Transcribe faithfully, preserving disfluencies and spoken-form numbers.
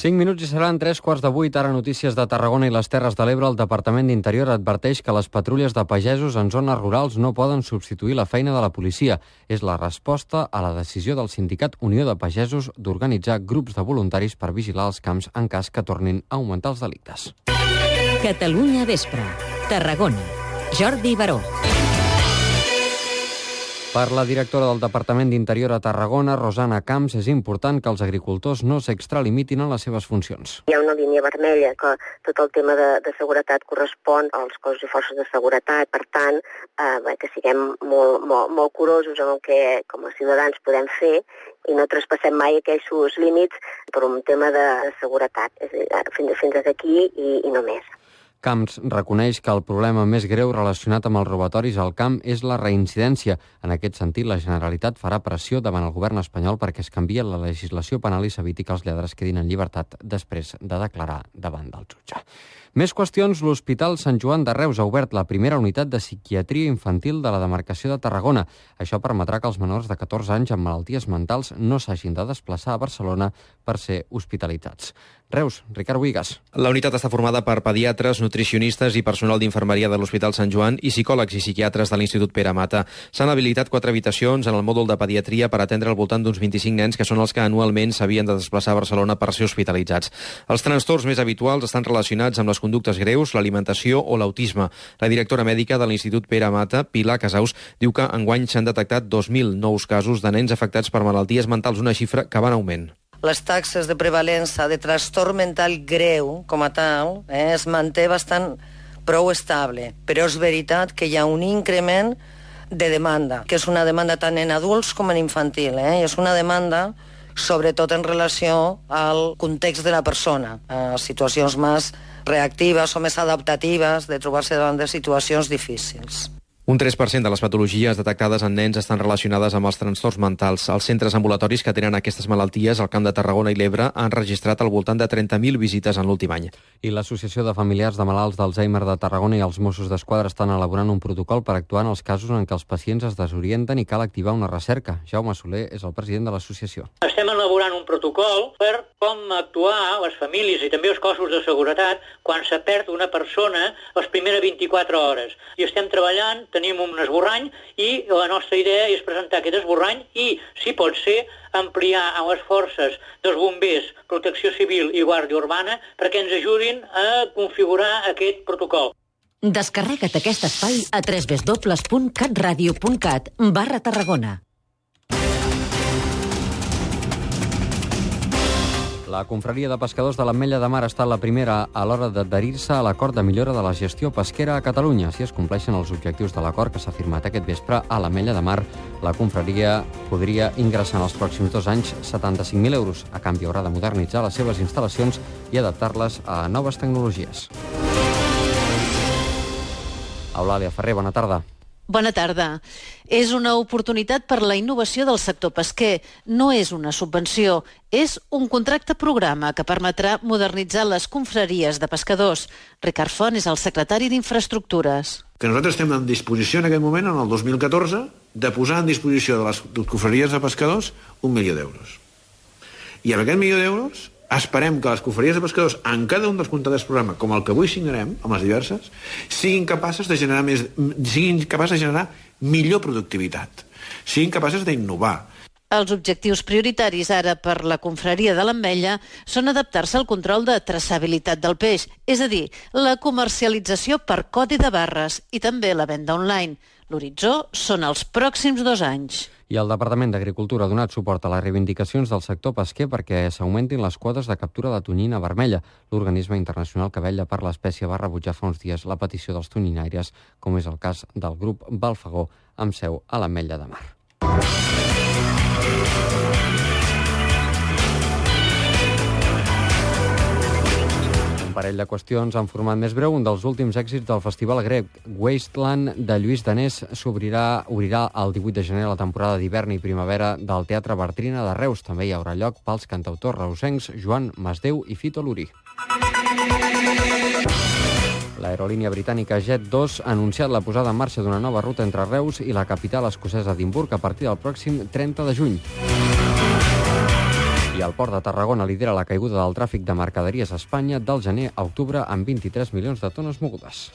Cinc minuts i seran tres quarts de vuit. Ara notícies de Tarragona i les Terres de l'Ebre. El Departament d'Interior adverteix que les patrulles de pagesos en zones rurals no poden substituir la feina de la policia. És la resposta a la decisió del sindicat Unió de Pagesos d'organitzar grups de voluntaris per vigilar els camps en cas que tornin a augmentar els delictes. Catalunya Vespre. Tarragona. Jordi Baró. Per la directora del Departament d'Interior a Tarragona, Rosana Camps, és important que els agricultors no s'extralimitin en les seves funcions. Hi ha una línia vermella que tot el tema de, de seguretat correspon als cossos i forces de seguretat. Per tant, eh, que siguem molt, molt, molt curosos en el que com a ciutadans podem fer i no traspassem mai aquells límits per un tema de, de seguretat. És a dir, fins, fins aquí i, i no més. Camps reconeix que el problema més greu relacionat amb els robatoris al camp és la reincidència. En aquest sentit, la Generalitat farà pressió davant el govern espanyol perquè es canvie la legislació penal i s'eviti que els lladres quedin en llibertat després de declarar davant del jutge. Més qüestions. L'Hospital Sant Joan de Reus ha obert la primera unitat de psiquiatria infantil de la demarcació de Tarragona. Això permetrà que els menors de catorze anys amb malalties mentals no s'hagin de desplaçar a Barcelona per ser hospitalitzats. Reus, Ricard Buigas. La unitat està formada per pediatres, nutricionistes i personal d'infermeria de l'Hospital Sant Joan i psicòlegs i psiquiatres de l'Institut Pere Mata. S'han habilitat quatre habitacions en el mòdul de pediatria per atendre al voltant d'uns vint-i-cinc nens que són els que anualment s'havien de desplaçar a Barcelona per ser hospitalitzats. Els trastorns més habituals estan relacionats amb les conductes greus, l'alimentació o l'autisme. La directora mèdica de l'Institut Pere Mata, Pilar Casaus, diu que enguany s'han detectat dos mil nous casos de nens afectats per malalties mentals, una xifra que va en augment. Les taxes de prevalença de trastorn mental greu, com a tal, eh, es manté bastant prou estable. Però és veritat que hi ha un increment de demanda, que és una demanda tant en adults com en infantil. Eh? I és una demanda sobretot en relació al context de la persona, a situacions més reactives o més adaptatives, de trobar-se davant de situacions difícils. Un tres per cent de les patologies detectades en nens estan relacionades amb els trastorns mentals. Els centres ambulatoris que tenen aquestes malalties al Camp de Tarragona i l'Ebre han registrat al voltant de trenta mil visites en l'últim any. I l'Associació de Familiars de Malalts d'Alzheimer de Tarragona i els Mossos d'Esquadra estan elaborant un protocol per actuar en els casos en què els pacients es desorienten i cal activar una recerca. Jaume Soler és el president de l'associació. Estem elaborant un protocol per com actuar les famílies i també els cossos de seguretat quan se perd una persona les primeres vint-i-quatre hores. I estem treballant, tenim un esborrany i la nostra idea és presentar aquest esborrany i, si pot ser, ampliar a les forces dels bombers, protecció civil i guàrdia urbana perquè ens ajudin a configurar aquest protocol. Descarrega't aquest espai a w w w punt catradio punt cat barra Tarragona. La confraria de pescadors de l'Ametlla de Mar ha estat la primera a l'hora d'adherir-se a l'acord de millora de la gestió pesquera a Catalunya. Si es compleixen els objectius de l'acord que s'ha firmat aquest vespre a l'Ametlla de Mar, la confraria podria ingressar en els pròxims dos anys setanta-cinc mil euros. A canvi haurà de modernitzar les seves instal·lacions i adaptar-les a noves tecnologies. Eulàlia Ferrer, bona tarda. Bona tarda. És una oportunitat per la innovació del sector pesquer. No és una subvenció, és un contracte programa que permetrà modernitzar les confraries de pescadors. Ricard Font és el secretari d'Infraestructures. Que nosaltres estem en disposició en aquest moment, en el dos mil catorze, de posar en disposició de les confraries de pescadors un milió d'euros. I amb aquest milió d'euros esperem que les confraries de pescadors en cada un dels contractes programa, com el que avui signarem, amb les diverses, siguin capaces de generar més, siguin capaces de generar millor productivitat, siguin capaces d'innovar. Els objectius prioritaris ara per la confraria de l'Ametlla són adaptar-se al control de traçabilitat del peix, és a dir, la comercialització per codi de barres i també la venda online. L'horitzó són els pròxims dos anys. I el Departament d'Agricultura ha donat suport a les reivindicacions del sector pesquer perquè s'augmentin les quotes de captura de tonyina vermella. L'organisme internacional que vetlla per l'espècie va rebutjar fa uns dies la petició dels tonyinaires, com és el cas del grup Balfagó, amb seu a l'Ametlla de Mar. Un parell de qüestions en format més breu. Un dels últims èxits del festival grec Wasteland de Lluís Danés s'obrirà obrirà el divuit de gener la temporada d'hivern i primavera del Teatre Bartrina de Reus. També hi haurà lloc pels cantautors reusencs Joan Masdeu i Fito Lurí. L'aerolínia britànica Jet dos ha anunciat la posada en marxa d'una nova ruta entre Reus i la capital escocesa Edimburg a partir del pròxim trenta de juny. I el Port de Tarragona lidera la caiguda del tràfic de mercaderies a Espanya del gener a octubre amb vint-i-tres milions de tones mogudes.